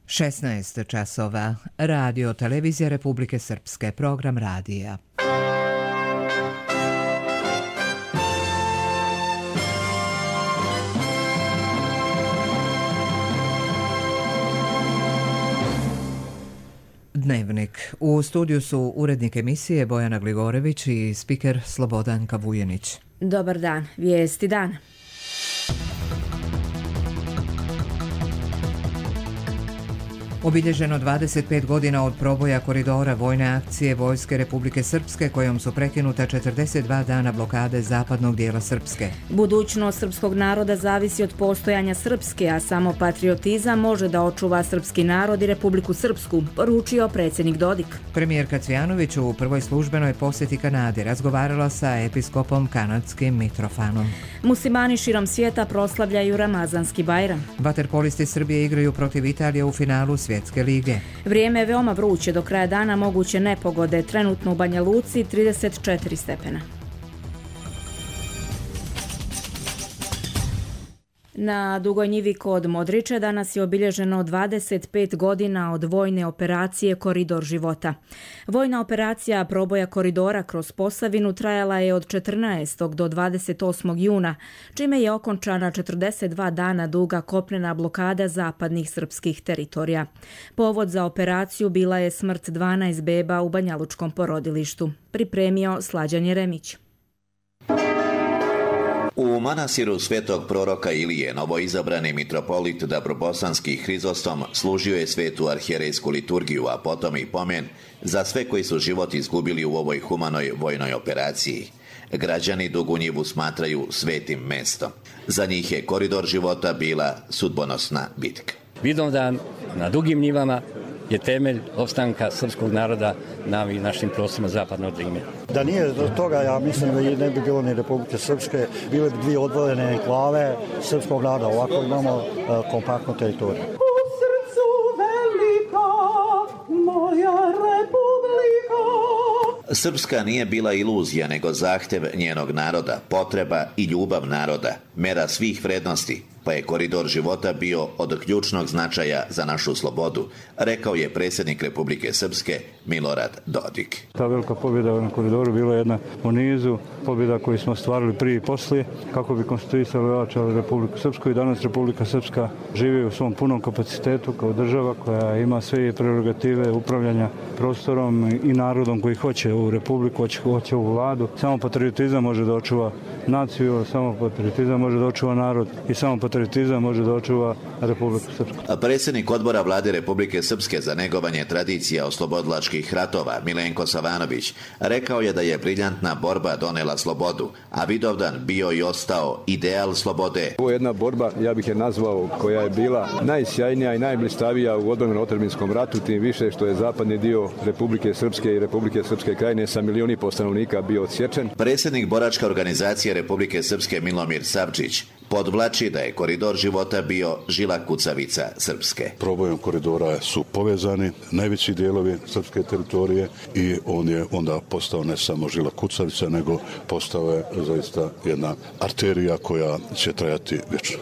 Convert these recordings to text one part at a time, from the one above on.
16 časova. Radio Televizija Republike Srpske. Program radija. Dnevnik. U studiju su urednik emisije Bojana Gligorević i spiker Slobodan Kavujenić. Dobar dan. Vijesti dana. Obilježeno 25 godina od proboja koridora vojne akcije Vojske Republike Srpske kojom su prekinuta 42 dana blokade zapadnog dijela Srpske. Budućnost srpskog naroda zavisi od postojanja Srpske, a samo patriotizam može da očuva srpski narod i Republiku Srpsku, poručio predsjednik Dodik. Premijerka Cvjanović u prvoj službenoj posjeti Kanadi razgovarala sa episkopom kanadskim Mitrofanom. Muslimani širom svijeta proslavljaju Ramazanski Bajram. Vaterpolisti Srbije igraju protiv Italije u finalu Svjetske lige. Vrijeme je veoma vruće, do kraja dana moguće nepogode, trenutno u Banja Luci 34 stepena. Na Dugoj njivi kod Modriče danas je obilježeno 25 godina od vojne operacije Koridor života. Vojna operacija proboja koridora kroz Posavinu trajala je od 14. do 28. juna, čime je okončana 42 dana duga kopnena blokada zapadnih srpskih teritorija. Povod za operaciju bila je smrt 12 beba u banjalučkom porodilištu. Pripremio Slađan Jeremić. U manastiru svetog proroka Ilije novoizabrani mitropolit Dabrobosanski Hrizostom služio je svetu arhijerejsku liturgiju, a potom i pomen za sve koji su život izgubili u ovoj humanoj vojnoj operaciji. Građani Dugu njivu smatraju svetim mestom. Za njih je koridor života bila sudbonosna bitka. Vidovdan na Dugim njivama je temelj opstanka srpskog naroda na našim prostorima zapadnog Drine. Da nije do toga, ja mislim da ne bi bilo ni Republike Srpske, bile bi dvije odvojene enklave srpskog naroda. Ovako imamo kompaktnu teritoriju. U srcu velika moja Republika. Srpska nije bila iluzija, nego zahtev njenog naroda, potreba i ljubav naroda, mera svih vrednosti, pa je koridor života bio od ključnog značaja za našu slobodu, rekao je predsjednik Republike Srpske Milorad Dodik. Ta velika pobjeda na koridoru bila je jedna u nizu pobjeda koju smo ostvarili prije i poslije kako bi konstituisali i ojačali Republiku Srpsku, i danas Republika Srpska živi u svom punom kapacitetu kao država koja ima sve prerogative upravljanja prostorom i narodom koji hoće u Republiku, hoće u vladu. Samo patriotizam može da očuva naciju, samo patriotizam može da očuva narod i samo patriotizam može da očuva Republiku Srpsku. Predsjednik odbora vlade Republike Srpske za negovanje tradicija oslobodilačkih ratova Milenko Savanović rekao je da je briljantna borba donela slobodu, a Vidovdan bio i ostao ideal slobode. Ovo je jedna borba, ja bih je nazvao, koja je bila najsjajnija i najblistavija u odbrambeno-otadžbinskom ratu, tim više što je zapadni dio Republike Srpske i Republike Srpske krajine sa 1,5 milijuna stanovnika bio odsječen. Predsjednik boračke organizacije Republike Srpske Milomir Savčić podvlači da je koridor života bio žila kucavica Srpske. Probojom koridora su povezani najveći dijelovi srpske teritorije i on je onda postao ne samo žila kucavica, nego postao je zaista jedna arterija koja će trajati vječno.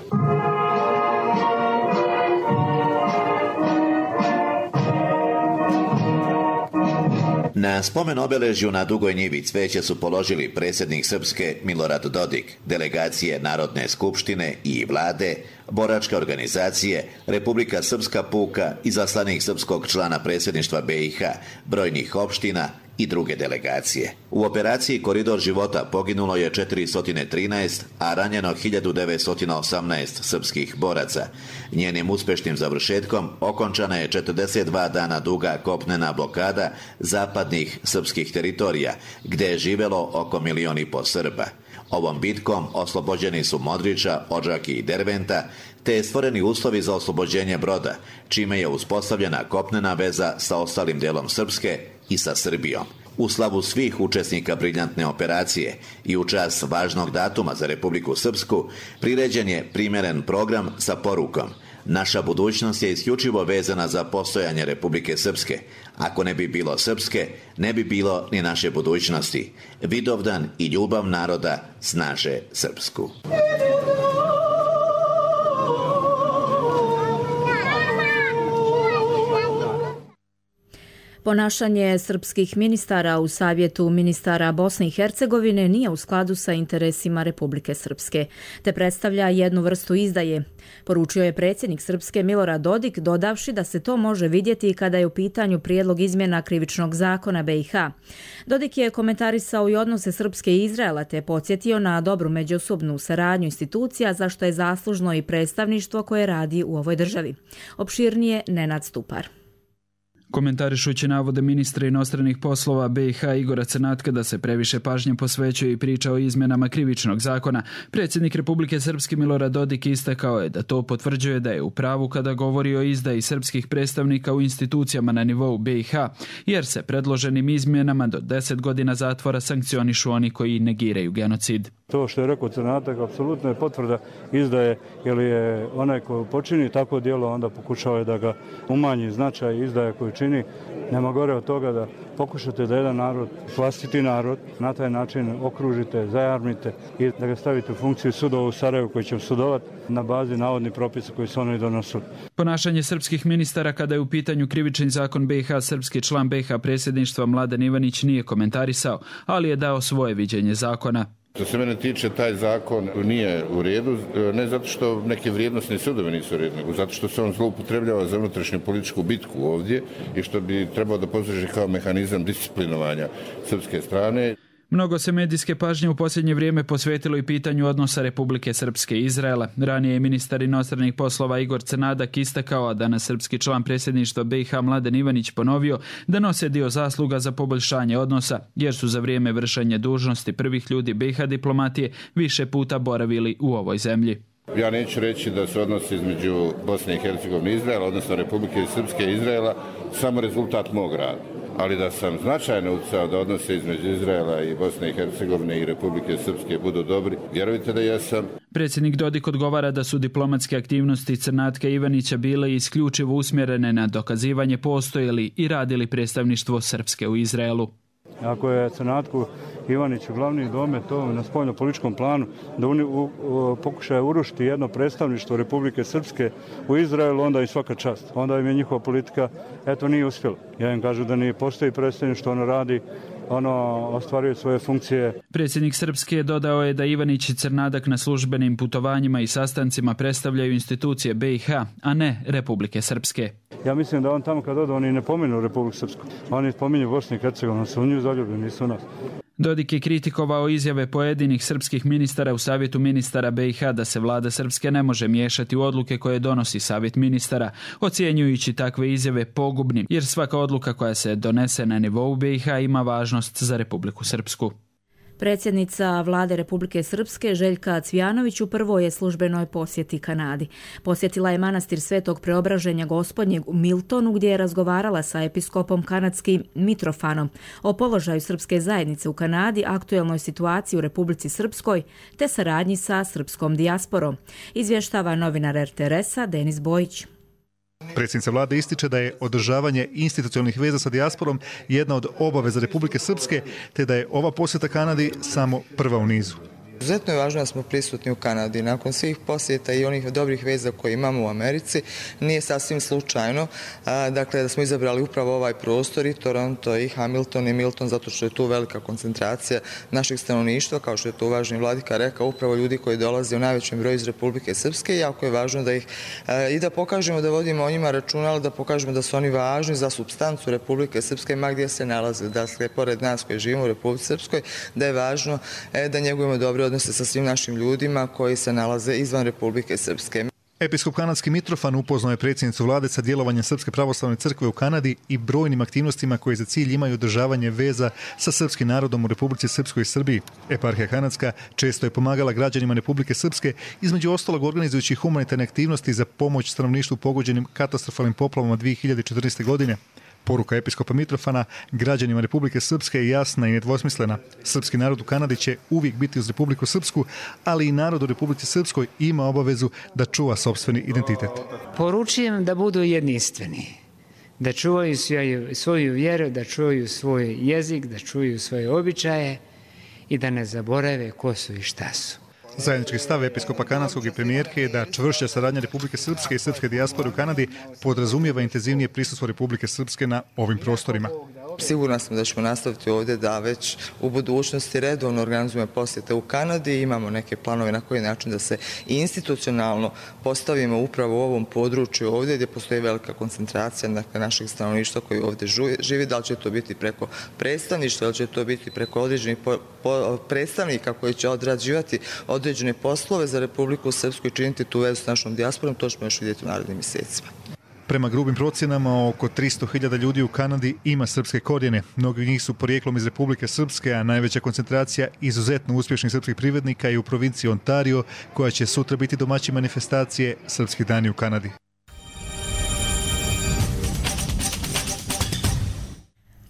Na spomen obeležju na Dugoj njivi cveće su položili predsjednik Srpske Milorad Dodik, delegacije Narodne skupštine i vlade, boračke organizacije, Republika Srpska puka, izaslanik srpskog člana predsjedništva BiH, brojnih opština i druge delegacije. U operaciji Koridor života poginulo je 413, a ranjeno 1918 srpskih boraca. Njenim uspješnim završetkom okončana je 42 dana duga kopnena blokada zapadnih srpskih teritorija, gdje je živjelo oko 1,5 milijuna Srba. Ovom bitkom oslobođeni su Modriča, Odžaki i Derventa, te je stvoreni uslovi za oslobođenje Broda, čime je uspostavljena kopnena veza sa ostalim delom Srpske i sa Srbijom. U slavu svih učesnika briljantne operacije i u čast važnog datuma za Republiku Srpsku priređen je primjeren program sa porukom: naša budućnost je isključivo vezana za postojanje Republike Srpske. Ako ne bi bilo Srpske, ne bi bilo ni naše budućnosti. Vidovdan i ljubav naroda snaže Srpsku. Ponašanje srpskih ministara u Savjetu ministara Bosne i Hercegovine nije u skladu sa interesima Republike Srpske, te predstavlja jednu vrstu izdaje, poručio je predsjednik Srpske Milorad Dodik, dodavši da se to može vidjeti kada je u pitanju prijedlog izmjena krivičnog zakona BiH. Dodik je komentarisao i odnose Srpske i Izraela, te podsjetio na dobru međusobnu saradnju institucija, za što je zaslužno i predstavništvo koje radi u ovoj državi. Opširnije Nenad Stupar. Komentarišući navode ministra inostranih poslova BiH Igora Crnatka da se previše pažnje posvećuje i priča o izmjenama krivičnog zakona, predsjednik Republike Srpske Milorad Dodik istakao je da to potvrđuje da je u pravu kada govori o izdaji srpskih predstavnika u institucijama na nivou BiH, jer se predloženim izmjenama do 10 godina zatvora sankcionišu oni koji negiraju genocid. To što je rekao Crnatak apsolutno je potvrda izdaje, jer je onaj koji počini takvo djelo onda pokušao je da ga umanji značaj izdaje koju čini. Nema gore od toga da pokušate da jedan narod, vlastiti narod, na taj način okružite, zajarmite i da ga stavite u funkciju sudova u Sarajevu koji će sudovati na bazi navodnih propisa koji su oni donosili. Ponašanje srpskih ministara kada je u pitanju krivični zakon BiH, srpski član BiH predsjedništva Mladen Ivanić nije komentarisao, ali je dao svoje viđenje zakona. Što se mene tiče, taj zakon nije u redu, ne zato što neke vrijednosne sudovi nisu u redu, nego zato što se on zloupotrebljava za unutrašnju političku bitku ovdje i što bi trebao da posluži kao mehanizam disciplinovanja srpske strane. Mnogo se medijske pažnje u posljednje vrijeme posvetilo i pitanju odnosa Republike Srpske i Izraela. Ranije je ministar inostranih poslova Igor Crnadak istakao, a danas srpski član predsjedništva BiH Mladen Ivanić ponovio da nose dio zasluga za poboljšanje odnosa, jer su za vrijeme vršenja dužnosti prvih ljudi BiH diplomatije više puta boravili u ovoj zemlji. Ja neću reći da se odnosi između Bosne i Hercegovine i Izraela, odnosno Republike Srpske i Izraela, samo rezultat mog rada. Ali da sam značajno utjecao da odnose između Izraela i Bosne i Hercegovine i Republike Srpske budu dobri, vjerujte da jesam. Predsjednik Dodik odgovara da su diplomatske aktivnosti Crnatka i Ivanića bile isključivo usmjerene na dokazivanje postoje li i radili predstavništvo Srpske u Izraelu. Ako je Crnatku Ivaniću glavni domet to na spoljno-političkom planu da pokušaju urušiti jedno predstavništvo Republike Srpske u Izraelu, onda im svaka čast. Onda im je njihova politika, nije uspjela. Ja im kažu da nije postoji predstavništvo, ono radi, ostvaruje svoje funkcije. Predsjednik Srpske dodao je da Ivanić i Crnadak na službenim putovanjima i sastancima predstavljaju institucije BiH, a ne Republike Srpske. Ja mislim da on tamo kad ode, oni ne pomenu Republiku Srpsku. Oni spominju Bosnu i Hercegovinu, su u nju zaljubljeni, nisu u nas. Dodik je kritikovao izjave pojedinih srpskih ministara u Savjetu ministara BiH da se vlada Srpske ne može miješati u odluke koje donosi Savjet ministara, ocjenjujući takve izjave pogubnim, jer svaka odluka koja se donese na nivou BiH ima važnost za Republiku Srpsku. Predsjednica Vlade Republike Srpske Željka Cvijanović u prvoj je službenoj posjeti Kanadi. Posjetila je manastir Svetog Preobraženja Gospodnjeg u Miltonu, gdje je razgovarala sa episkopom kanadskim Mitrofanom o položaju srpske zajednice u Kanadi, aktuelnoj situaciji u Republici Srpskoj te saradnji sa srpskom dijasporom, izvještava novinar RTS-a Denis Bojić. Predsjednica vlade ističe da je održavanje institucionalnih veza sa dijasporom jedna od obaveza Republike Srpske, te da je ova posjeta Kanadi samo prva u nizu. Izuzetno je važno da smo prisutni u Kanadi. Nakon svih posjeta i onih dobrih veza koje imamo u Americi, nije sasvim slučajno da smo izabrali upravo ovaj prostor, i Toronto, i Hamilton, i Milton, zato što je tu velika koncentracija naših stanovništva, kao što je to uvaženi vladika rekao, upravo ljudi koji dolaze u najvećem broju iz Republike Srpske, i jako je važno da ih i da pokažemo da vodimo o njima računa, ali da pokažemo da su oni važni za supstancu Republike Srpske, ma gdje se nalaze, dakle, pored nas koji živimo u Republici Srpskoj, da je važno da njegujemo dobre odnose sa svim našim ljudima koji se nalaze izvan Republike Srpske. Episkop kanadski Mitrofan upoznao je predsjednicu vlade sa djelovanjem Srpske pravoslavne crkve u Kanadi i brojnim aktivnostima koje za cilj imaju održavanje veza sa srpskim narodom u Republici Srpskoj i Srbiji. Eparhija kanadska često je pomagala građanima Republike Srpske, između ostalog organizujući humanitarne aktivnosti za pomoć stanovništvu pogođenim katastrofalnim poplavama 2014. godine. Poruka episkopa Mitrofana građanima Republike Srpske je jasna i nedvosmislena. Srpski narod u Kanadi će uvijek biti uz Republiku Srpsku, ali i narod u Republici Srpskoj ima obavezu da čuva sopstveni identitet. Poručujem da budu jedinstveni, da čuvaju svoju vjeru, da čuvaju svoj jezik, da čuvaju svoje običaje i da ne zaborave ko su i šta su. Zajednički stav episkopa kanadskog i premijerke je da čvršća saradnja Republike Srpske i srpske dijaspore u Kanadi podrazumijeva intenzivnije prisustvo Republike Srpske na ovim prostorima. Sigurna sam da ćemo nastaviti ovdje da već u budućnosti redovno organizujemo posjete u Kanadi. Imamo neke planove na koji način da se institucionalno postavimo upravo u ovom području ovdje gdje postoji velika koncentracija našeg stanovništva koji ovdje živi. Da li će to biti preko predstavništva, da li će to biti preko određenih predstavnika koji će odrađivati određene poslove za Republiku Srpsku i činiti tu vezu s našom dijasporom, to ćemo još vidjeti u narednim mjesecima. Prema grubim procjenama, oko 300.000 ljudi u Kanadi ima srpske korijene. Mnogi od njih su porijeklom iz Republike Srpske, a najveća koncentracija izuzetno uspješnih srpskih privrednika je u provinciji Ontario, koja će sutra biti domaćin manifestacije Srpskih dani u Kanadi.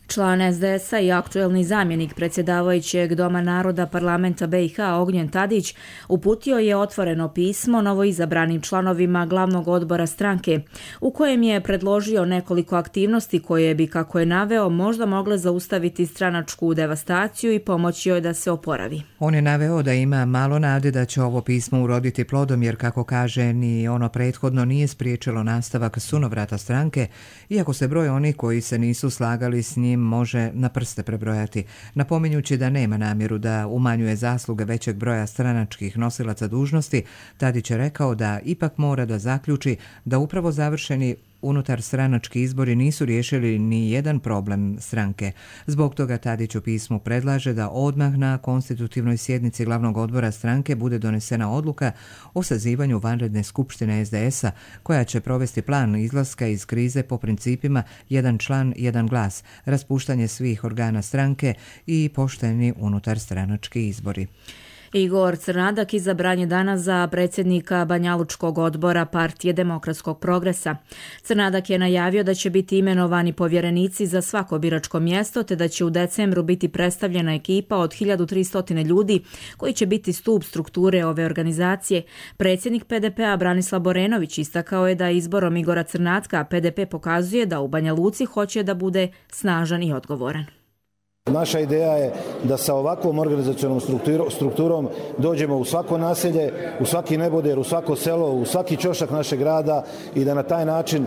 Član SDS-a i aktuelni zamjenik predsjedavajućeg Doma naroda parlamenta BiH Ognjen Tadić uputio je otvoreno pismo novoizabranim članovima glavnog odbora stranke u kojem je predložio nekoliko aktivnosti koje bi, kako je naveo, možda mogle zaustaviti stranačku devastaciju i pomoći joj da se oporavi. On je naveo da ima malo nade da će ovo pismo uroditi plodom jer, kako kaže, ni ono prethodno nije spriječilo nastavak sunovrata stranke, iako se broj onih koji se nisu slagali s njim može na prste prebrojati, napominjući da nema namjeru da umanjuje zasluge većeg broja stranačkih nosilaca dužnosti. Tadić je rekao da ipak mora da zaključi da upravo završeni unutar stranački izbori nisu riješili ni jedan problem stranke. Zbog toga Tadić u pismu predlaže da odmah na konstitutivnoj sjednici glavnog odbora stranke bude donesena odluka o sazivanju vanredne skupštine SDS-a koja će provesti plan izlaska iz krize po principima jedan član, jedan glas, raspuštanje svih organa stranke i pošteni unutar stranački izbori. Igor Crnadak izabran je danas za predsjednika Banjalučkog odbora Partije demokratskog progresa. Crnadak je najavio da će biti imenovani povjerenici za svako biračko mjesto, te da će u decembru biti predstavljena ekipa od 1300 ljudi koji će biti stup strukture ove organizacije. Predsjednik PDP-a Branislav Borenović istakao je da izborom Igora Crnadka PDP pokazuje da u Banja Luci hoće da bude snažan i odgovoran. Naša ideja je da sa ovakvom organizacionom strukturom dođemo u svako naselje, u svaki neboder, u svako selo, u svaki ćošak našeg grada i da na taj način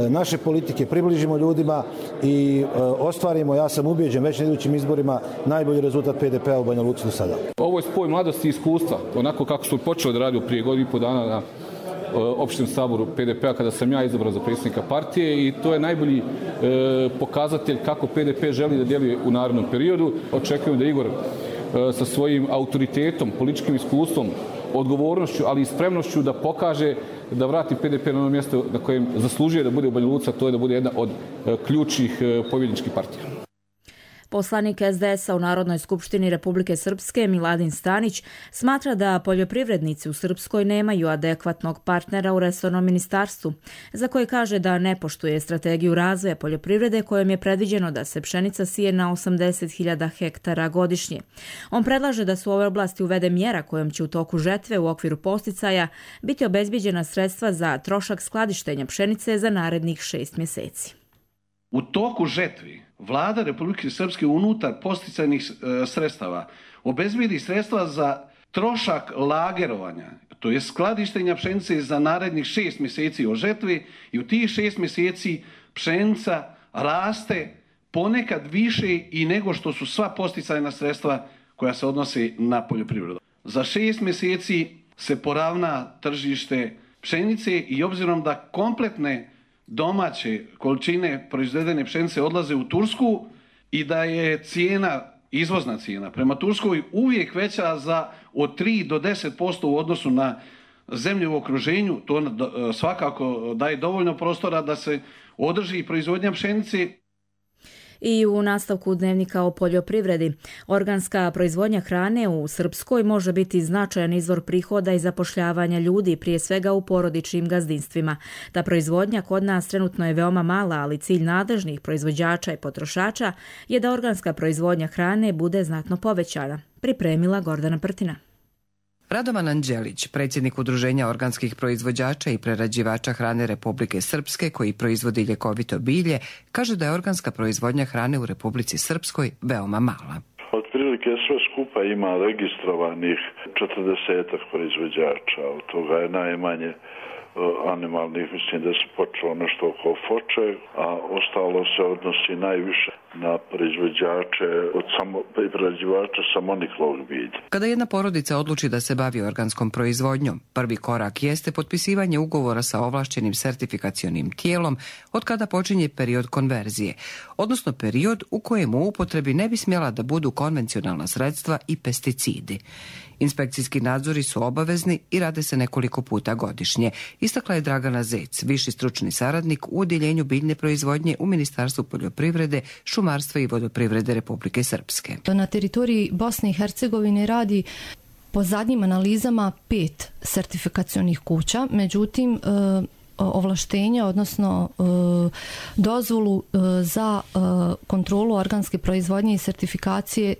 naše politike približimo ljudima i ostvarimo, ja sam ubijeđen, već na idućim izborima najbolji rezultat PDP-a u Banja Luci do sada. Ovo je spoj mladosti i iskustva, onako kako su počeli da radili prije godinu i pol dana na opštinskom saboru PDP-a kada sam ja izabran za predsjednika partije i to je najbolji pokazatelj kako PDP želi da djeluje u narednom periodu. Očekujem da Igor sa svojim autoritetom, političkim iskustvom, odgovornošću, ali i spremnošću da pokaže da vrati PDP na ono mjesto na kojem zaslužuje da bude u Banja Luci, a to je da bude jedna od ključnih pobjedničkih partija. Poslanik SDS-a u Narodnoj skupštini Republike Srpske Miladin Stanić smatra da poljoprivrednici u Srpskoj nemaju adekvatnog partnera u resornom ministarstvu, za koje kaže da ne poštuje strategiju razvoja poljoprivrede kojom je predviđeno da se pšenica sije na 80.000 hektara godišnje. On predlaže da se u ovoj oblasti uvede mjera kojom će u toku žetve u okviru posticaja biti obezbijeđena sredstva za trošak skladištenja pšenice za narednih 6 mjeseci. U toku žetvi Vlada Republike Srpske unutar posticajnih sredstava obezbijedi sredstva za trošak lagerovanja, to je skladištenja pšenice za narednih 6 mjeseci od žetvi i u tih 6 mjeseci pšenica raste ponekad više i nego što su sva posticajna sredstva koja se odnose na poljoprivredu. Za 6 mjeseci se poravna tržište pšenice i obzirom da kompletne domaće količine proizvedene pšenice odlaze u Tursku i da je cijena, izvozna cijena prema Turskoj uvijek veća za od 3 do 10% u odnosu na zemlje u okruženju, to svakako daje dovoljno prostora da se održi proizvodnja pšenice. I u nastavku dnevnika o poljoprivredi, organska proizvodnja hrane u Srpskoj može biti značajan izvor prihoda i zapošljavanja ljudi, prije svega u porodičnim gazdinstvima. Ta proizvodnja kod nas trenutno je veoma mala, ali cilj nadležnih proizvođača i potrošača je da organska proizvodnja hrane bude znatno povećana. Pripremila Gordana Prtina. Radovan Anđelić, predsjednik Udruženja organskih proizvođača i prerađivača hrane Republike Srpske koji proizvodi ljekovito bilje, kaže da je organska proizvodnja hrane u Republici Srpskoj veoma mala. Otprilike Otprilike sve skupa ima registrovanih 40 proizvođača, od toga je najmanje animalnih, mislim da se počelo nešto oko foče, a ostalo se odnosi najviše na proizvođače prerađivača samoniklog bilja. Kada jedna porodica odluči da se bavi organskom proizvodnjom, prvi korak jeste potpisivanje ugovora sa ovlašćenim sertifikacionim tijelom od kada počinje period konverzije, odnosno period u kojem u upotrebi ne bi smjela da budu konvencionalna sredstva i pesticidi. Inspekcijski nadzori su obavezni i rade se nekoliko puta godišnje, istakla je Dragana Zec, viši stručni saradnik u Odjeljenju biljne proizvodnje u Ministarstvu poljoprivrede, šumarstva i vodoprivrede Republike Srpske. Na teritoriji Bosne i Hercegovine radi po zadnjim analizama 5 sertifikacionih kuća, međutim ovlaštenja, odnosno dozvolu za kontrolu organske proizvodnje i sertifikacije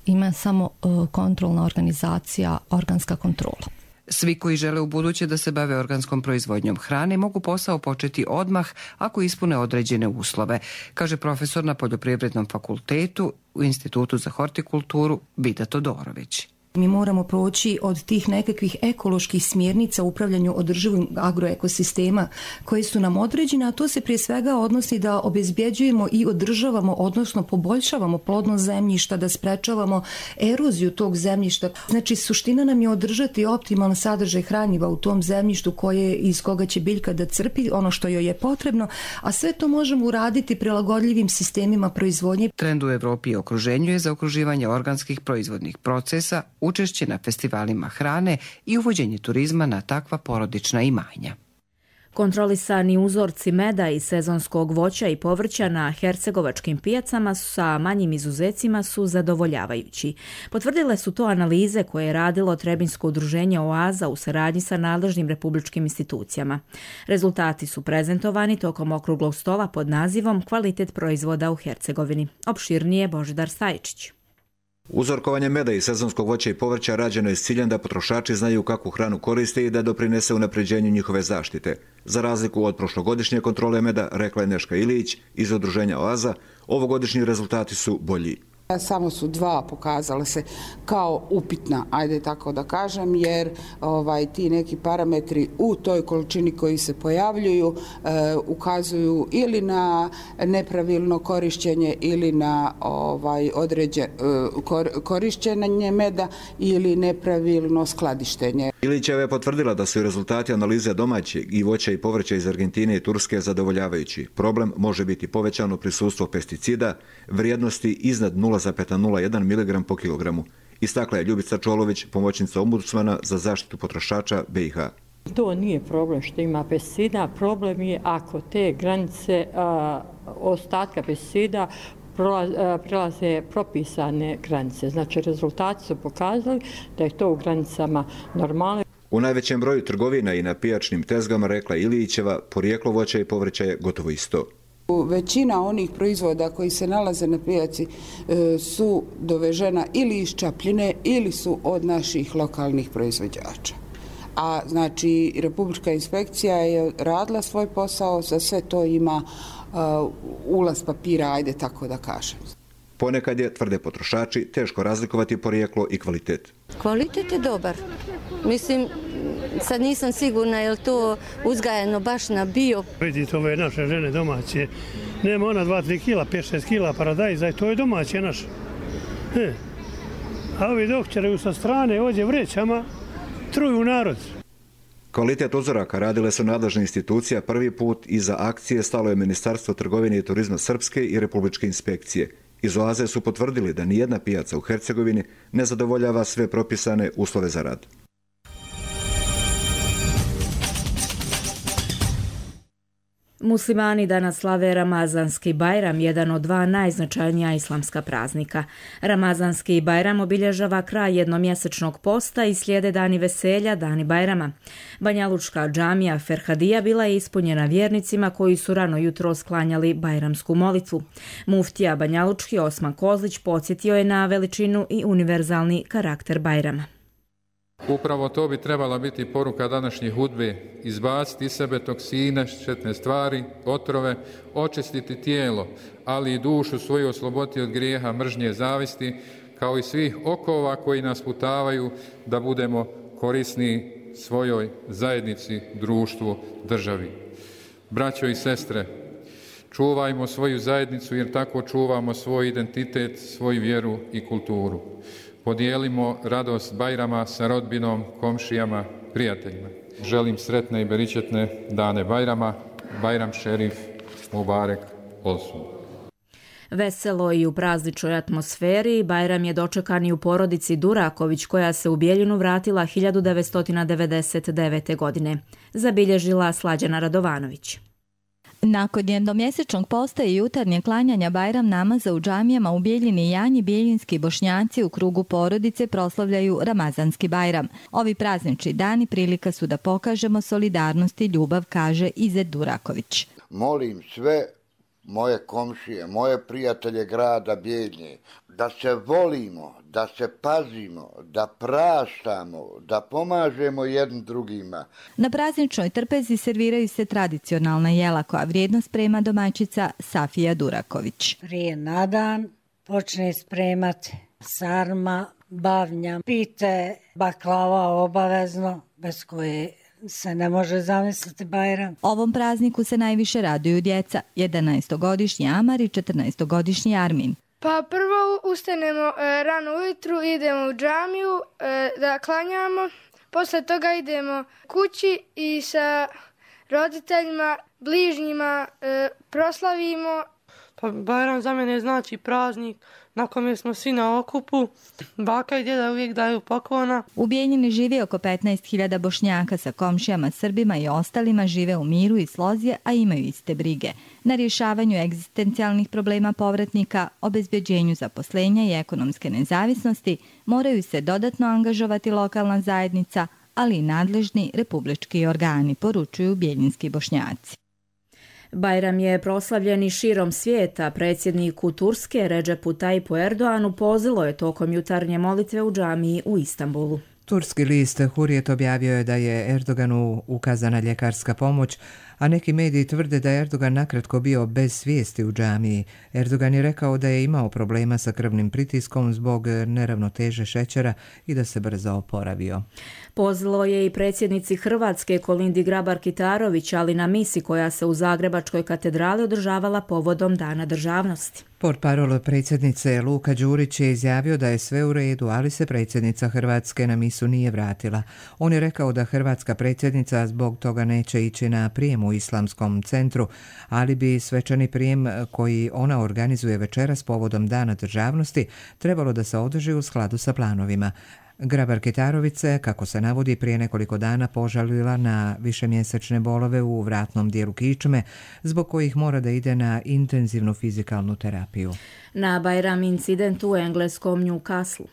ima samo kontrolna organizacija Organska kontrola. Svi koji žele u buduće da se bave organskom proizvodnjom hrane mogu posao početi odmah ako ispune određene uslove, kaže profesor na Poljoprivrednom fakultetu u Institutu za hortikulturu Vida Todorović. Mi moramo proći od tih nekakvih ekoloških smjernica u upravljanju održivim agroekosistema koje su nam određene, a to se prije svega odnosi da obezbjeđujemo i održavamo, odnosno poboljšavamo plodnost zemljišta, da sprečavamo eroziju tog zemljišta. Znači, suština nam je održati optimalan sadržaj hranjiva u tom zemljištu iz koga će biljka da crpi ono što joj je potrebno, a sve to možemo uraditi prilagodljivim sistemima proizvodnje. Trend u Evropi i okruženju je zaokruživanje organskih proizvodnih procesa, učešće na festivalima hrane i uvođenje turizma na takva porodična imanja. Kontrolisani uzorci meda i sezonskog voća i povrća na hercegovačkim pijacama sa manjim izuzecima su zadovoljavajući. Potvrdile su to analize koje je radilo Trebinjsko udruženje Oaza u saradnji sa nadležnim republičkim institucijama. Rezultati su prezentovani tokom okruglog stola pod nazivom Kvalitet proizvoda u Hercegovini. Opširnije Božidar Stajčić. Uzorkovanje meda i sezonskog voća i povrća rađeno je s ciljem da potrošači znaju kakvu hranu koriste i da doprinese unapređenju njihove zaštite. Za razliku od prošlogodišnje kontrole meda, rekla je Neška Ilić iz udruženja Oaza, ovogodišnji rezultati su bolji. Samo su 2 pokazale se kao upitna, ajde tako da kažem, jer ti neki parametri u toj količini koji se pojavljuju ukazuju ili na nepravilno korišćenje ili na korišćenje meda ili nepravilno skladištenje. Ilićeva je potvrdila da su i rezultati analize domaćeg i voća i povrća iz Argentine i Turske zadovoljavajući. Problem može biti povećano prisustvo pesticida, vrijednosti iznad 0,01 mg po kilogramu. Istakla je Ljubica Čolović, pomoćnica ombudsmana za zaštitu potrošača BiH. To nije problem što ima pesticida, problem je ako te granice ostatka pesticida prelaze propisane granice. Znači, rezultati su pokazali da je to u granicama normalno. U najvećem broju trgovina i na pijačnim tezgama, rekla Ilićeva, porijeklo voća i povrća je gotovo isto. Većina onih proizvoda koji se nalaze na pijaci su dovežena ili iz Čapljine ili su od naših lokalnih proizvođača. A znači, Republička inspekcija je radila svoj posao, za sve to ima ulaz papira, ajde tako da kažem. Ponekad je, tvrde potrošači, teško razlikovati porijeklo i kvalitet. Kvalitet je dobar. Mislim, sad nisam sigurna je li to uzgajano baš na bio. Vidite, ove naše žene domaće, nema ona 2-3 kila, 5-6 kila paradajza, to je domaće naše. A ovi doktori sa strane ođe vrećama truju narod. Kvalitet uzoraka radile su nadležne institucije, prvi put iza akcije stalo je Ministarstvo trgovine i turizma Srpske i Republičke inspekcije. Iz Oaze su potvrdili da nijedna pijaca u Hercegovini ne zadovoljava sve propisane uslove za rad. Muslimani danas slave Ramazanski Bajram, jedan od 2 najznačajnija islamska praznika. Ramazanski Bajram obilježava kraj jednomjesečnog posta i slijede dani veselja, dani Bajrama. Banjalučka džamija Ferhadija bila je ispunjena vjernicima koji su rano jutro sklanjali bajramsku molitvu. Muftija Banjalučki Osman Kozlić podsjetio je na veličinu i univerzalni karakter Bajrama. Upravo to bi trebala biti poruka današnjih hudbe, izbaciti iz sebe toksine, štetne stvari, otrove, očistiti tijelo, ali i dušu svoju osloboditi od grijeha, mržnje, zavisti, kao i svih okova koji nas putavaju da budemo korisni svojoj zajednici, društvu, državi. Braćo i sestre, čuvajmo svoju zajednicu jer tako čuvamo svoj identitet, svoju vjeru i kulturu. Podijelimo radost Bajrama sa rodbinom, komšijama, prijateljima. Želim sretne i beričetne dane Bajrama. Bajram šerif Mubarek olsun. Veselo i u prazničnoj atmosferi Bajram je dočekan i u porodici Duraković koja se u Bijeljinu vratila 1999. godine. Zabilježila Slađana Radovanović. Nakon jednomjesečnog posta i jutarnje klanjanja Bajram namaza u džamijama u Bijeljini i Janji, bijeljinski Bošnjaci u krugu porodice proslavljaju Ramazanski Bajram. Ovi praznični dani prilika su da pokažemo solidarnost i ljubav, kaže Izet Duraković. Molim sve moje komšije, moje prijatelje grada Bijeljine, da se volimo, da se pazimo, da praštamo, da pomažemo jednim drugima. Na prazničnoj trpezi serviraju se tradicionalna jela koja vrijedno sprema domaćica Safija Duraković. Prije na dan počne spremati sarma, bavnja, pite, baklava obavezno, bez koje se ne može zamisliti Bajram. Ovom prazniku se najviše raduju djeca, 11-godišnji Amar i 14-godišnji Armin. Pa prvo ustanemo rano ujutru, idemo u džamiju da klanjamo, posle toga idemo kući i sa roditeljima, bližnjima proslavimo. Pa Bajram za mene znači praznik na kome smo svi na okupu. Baka i djeda uvijek daju poklona. U Bijeljini živi oko 15.000 Bošnjaka, sa komšijama, Srbima i ostalima žive u miru i slozi, a imaju iste brige. Na rješavanju egzistencijalnih problema povratnika, obezbeđenju zaposlenja i ekonomske nezavisnosti moraju se dodatno angažovati lokalna zajednica, ali i nadležni republički organi, poručuju bijeljinski Bošnjaci. Bajram je proslavljen i širom svijeta. Predsjedniku Turske Redžepu Tajipu Erdoanu pozilo je tokom jutarnje molitve u džamiji u Istanbulu. Turski list Hurrijet objavio je da je Erdoganu ukazana ljekarska pomoć, a neki mediji tvrde da je Erdogan nakratko bio bez svijesti u džamiji. Erdogan je rekao da je imao problema sa krvnim pritiskom zbog neravnoteže šećera i da se brzo oporavio. Pozvalo je i predsjednici Hrvatske Kolindi Grabar-Kitarović, ali na misi koja se u Zagrebačkoj katedrali održavala povodom Dana državnosti. Portparol predsjednice Luka Đurić je izjavio da je sve u redu, ali se predsjednica Hrvatske na misu nije vratila. On je rekao da hrvatska predsjednica zbog toga neće ići na prijem u Islamskom centru, ali bi svečani prijem koji ona organizuje večeras povodom Dana državnosti trebalo da se održi u skladu sa planovima. Grabar-Kitarović se, kako se navodi, prije nekoliko dana požalila na višemjesečne bolove u vratnom dijelu kičme, zbog kojih mora da ide na intenzivnu fizikalnu terapiju. Na Bajram incidentu u engleskom Newcastle.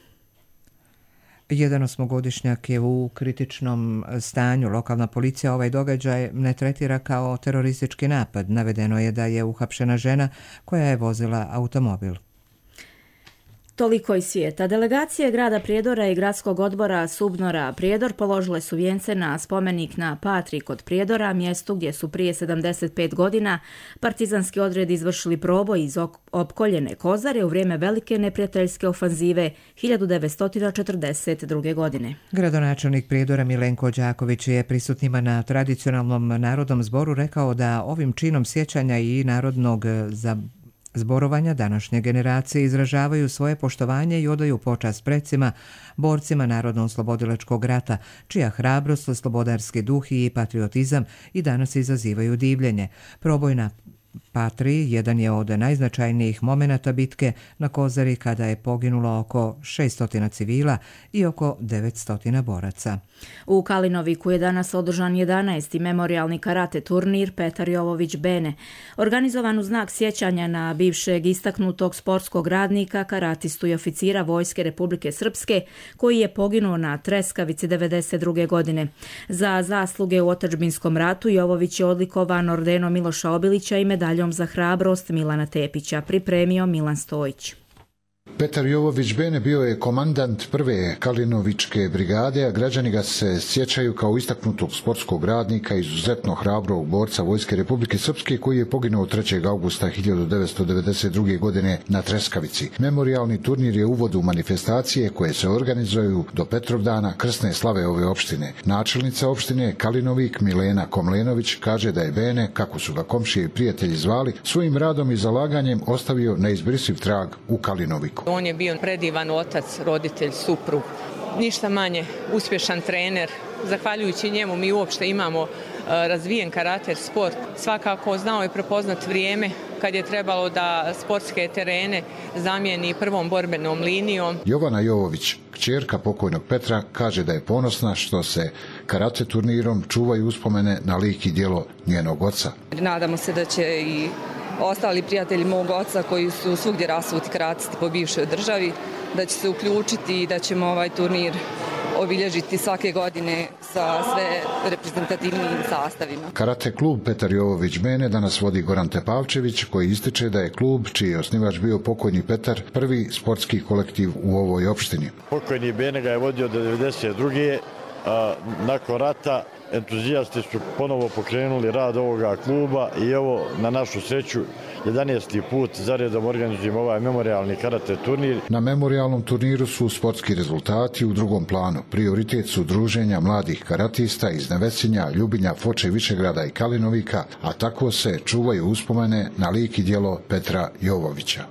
Jedan 8-godišnjak je u kritičnom stanju. Lokalna policija ovaj događaj ne tretira kao teroristički napad. Navedeno je da je uhapšena žena koja je vozila automobil. Toliko iz svijeta. Delegacije grada Prijedora i gradskog odbora Subnora Prijedor položile su vijence na spomenik na Patri kod Prijedora, mjestu gdje su prije 75 godina partizanski odredi izvršili proboj iz opkoljene Kozare u vrijeme velike neprijateljske ofanzive 1942. godine. Gradonačelnik Prijedora Milenko Đaković je prisutnima na tradicionalnom narodnom zboru rekao da ovim činom sjećanja i narodnog zborovanja današnje generacije izražavaju svoje poštovanje i odaju počast precima, borcima Narodno-oslobodilačkog rata, čija hrabrost, slobodarski duh i patriotizam i danas izazivaju divljenje. Proboj na Patri jedan je od najznačajnijih momenata bitke na Kozari kada je poginulo oko 600 civila i oko 900 boraca. U Kalinoviku je danas održan 11. memorijalni karate turnir Petar Jovović Bene, organizovan u znak sjećanja na bivšeg istaknutog sportskog radnika, karatistu i oficira Vojske Republike Srpske, koji je poginuo na Treskavici 1992. godine. Za zasluge u otadžbinskom ratu Jovović je odlikovan ordenom Miloša Obilića i medaljom za hrabrost Milana Tepića, pripremio Milan Stojić. Petar Jovović Bene bio je komandant prve Kalinovičke brigade, a građani ga se sjećaju kao istaknutog sportskog radnika, izuzetno hrabrog borca Vojske Republike Srpske koji je poginuo 3. augusta 1992. godine na Treskavici. Memorijalni turnir je uvod u manifestacije koje se organizuju do Petrovdana, krsne slave ove opštine. Načelnica opštine Kalinovik Milena Komlenović kaže da je Bene, kako su ga komšije i prijatelji zvali, svojim radom i zalaganjem ostavio neizbrisiv trag u Kalinoviku. On je bio predivan otac, roditelj, suprug, ništa manje uspješan trener. Zahvaljujući njemu mi uopšte imamo razvijen karater sport. Svakako znao je prepoznat vrijeme kad je trebalo da sportske terene zamijeni prvom borbenom linijom. Jovana Jovović, kćerka pokojnog Petra, kaže da je ponosna što se karate turnirom čuvaju uspomene na lik i djelo njenog oca. Nadamo se da će i ostali prijatelji mog oca koji su svugdje rasuti karatisti po bivšoj državi, da će se uključiti i da ćemo ovaj turnir obilježiti svake godine sa sve reprezentativnim sastavima. Karate klub Petar Jovović Bene danas vodi Goran Tepavčević, koji ističe da je klub, čiji je osnivač bio pokojni Petar, prvi sportski kolektiv u ovoj opštini. Pokojni Bene ga je vodio do 1992. Nakon rata entuzijasti su ponovo pokrenuli rad ovoga kluba i evo, na našu sreću, 11. put zaredom organizujemo ovaj memorialni karate turnir. Na memorialnom turniru su sportski rezultati u drugom planu. Prioritet su druženja mladih karatista iz Nevesinja, Ljubinja, Foče, Višegrada i Kalinovika, a tako se čuvaju uspomene na lik i djelo Petra Jovovića.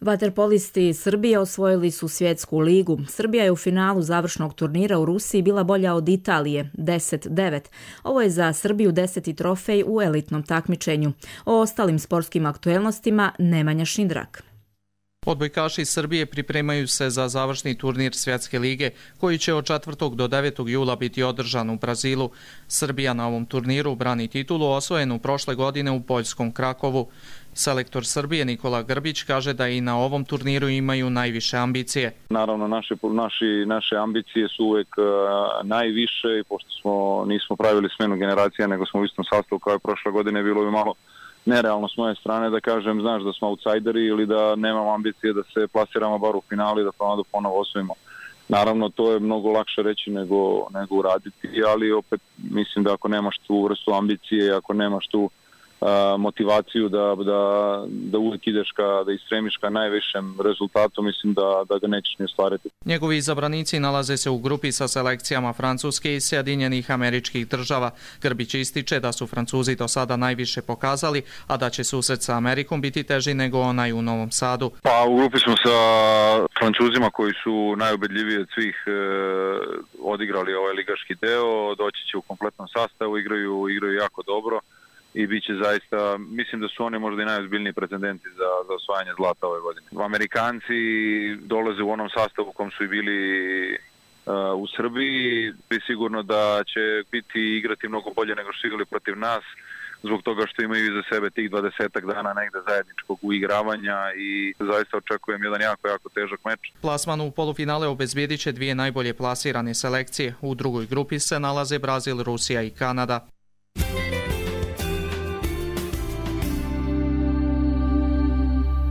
Vaterpolisti Srbije osvojili su svjetsku ligu. Srbija je u finalu završnog turnira u Rusiji bila bolja od Italije, 10-9. Ovo je za Srbiju 10. trofej u elitnom takmičenju. O ostalim sportskim aktuelnostima Nemanja Šindrak. Odbojkaši Srbije pripremaju se za završni turnir Svjetske lige, koji će od 4. do 9. jula biti održan u Brazilu. Srbija na ovom turniru brani titulu osvojenu prošle godine u poljskom Krakovu. Selektor Srbije Nikola Grbić kaže da i na ovom turniru imaju najviše ambicije. Naravno, naše ambicije su uvek najviše i pošto nismo pravili smenu generacija, nego smo u istom sastavu kao i prošle godine, bilo bi malo nerealno s moje strane da kažem, znaš, da smo outsideri ili da nemamo ambicije da se plasiramo bar u finali, da ponovo osvojimo. Naravno, to je mnogo lakše reći nego uraditi, ali opet mislim da ako nemaš tu vrstu ambicije, ako nemaš tu motivaciju da uvijek ideš da istremiš ka najvišem rezultatu, mislim da ga nećeš ni ostvariti. Njegovi izabranici nalaze se u grupi sa selekcijama Francuske i Sjedinjenih Američkih Država. Grbić ističe da su Francuzi do sada najviše pokazali, a da će susret sa Amerikom biti teži nego onaj u Novom Sadu. Pa u grupi smo sa Francuzima koji su najubedljiviji od svih odigrali ovaj ligaški deo, doći će u kompletnom sastavu, igraju jako dobro. I bit će zaista, mislim da su oni možda i najozbiljniji pretendenti za osvajanje zlata ove godine. Amerikanci dolaze u onom sastavu u kom su i bili u Srbiji, i sigurno da će igrati mnogo bolje nego što su igrali protiv nas, zbog toga što imaju iza sebe tih 20 dana negde zajedničkog uigravanja i zaista očekujem jedan jako težak meč. Plasman u polufinale obezbijedit će dvije najbolje plasirane selekcije. U drugoj grupi se nalaze Brazil, Rusija i Kanada.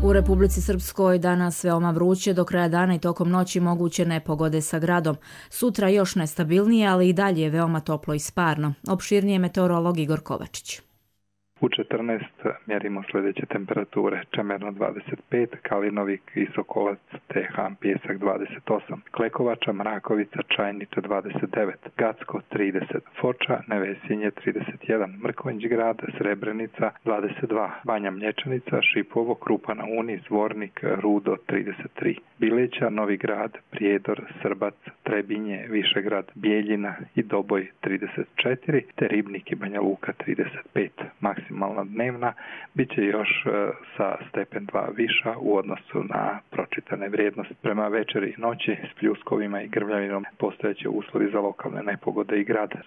U Republici Srpskoj danas veoma vruće, do kraja dana i tokom noći moguće nepogode sa gradom. Sutra još nestabilnije, ali i dalje je veoma toplo i sparno. Opširnije meteorolog Igor Kovačić. U 14 mjerimo sljedeće temperature: Čemerno 25, Kalinovik i Sokolac, Tehan, Pjesak 28, Klekovača, Mrakovica, Čajniča 29, Gacko 30, Foča, Nevesinje 31, Mrkonjić grad, Srebrenica 22, Banja Mlječanica, Šipovo, Krupa na Uni, Zvornik, Rudo 33, Bileća, Novi grad, Prijedor, Srbac, Trebinje, Višegrad, Bijeljina i Doboj 34, te Ribnik i Banja Luka 35. Maksimalna dnevna bit će još sa stepen 2 viša u odnosu na pročitane vrijednosti. Prema večeri i noći s pljuskovima i grmljavinom postojeće uslovi za lokalne nepogode i grade.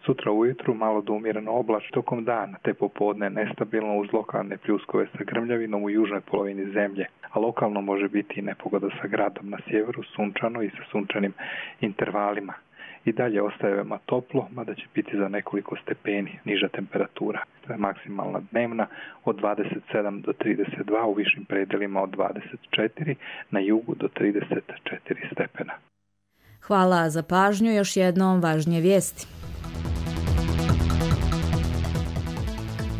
Sutra ujutru malo do umjereno oblačno tokom dana, te popodne nestabilno uz lokalne pljuskove sa grmljavinom u južnoj polovini zemlje, a lokalno može biti i nepogoda sa gradom na sjeveru, sunčano i sa sunčanim intervalima. I dalje ostaje veoma toplo, mada će biti za nekoliko stepeni niža temperatura. To je maksimalna dnevna od 27 do 32, u višim predelima od 24, na jugu do 34 stepena. Hvala za pažnju, još jednom važnije vijesti.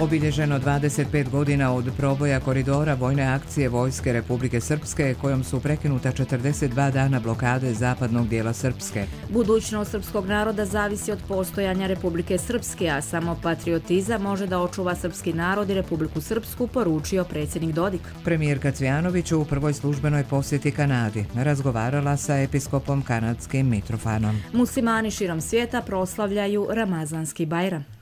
Obilježeno 25 godina od proboja koridora vojne akcije Vojske Republike Srpske, kojom su prekinuta 42 dana blokade zapadnog dijela Srpske. Budućnost srpskog naroda zavisi od postojanja Republike Srpske, a samo patriotizam može da očuva srpski narod i Republiku Srpsku, poručio predsjednik Dodik. Premijerka Cvjanović u prvoj službenoj posjeti Kanadi razgovarala sa episkopom kanadskim Mitrofanom. Muslimani širom svijeta proslavljaju Ramazanski Bajram.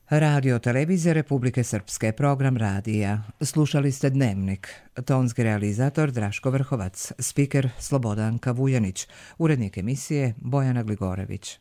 Radio Televizija Republike Srpske, program radija. Slušali ste Dnevnik. Tonski realizator Draško Vrhovac, spiker Slobodanka Vujanić, urednik emisije Bojana Gligorević.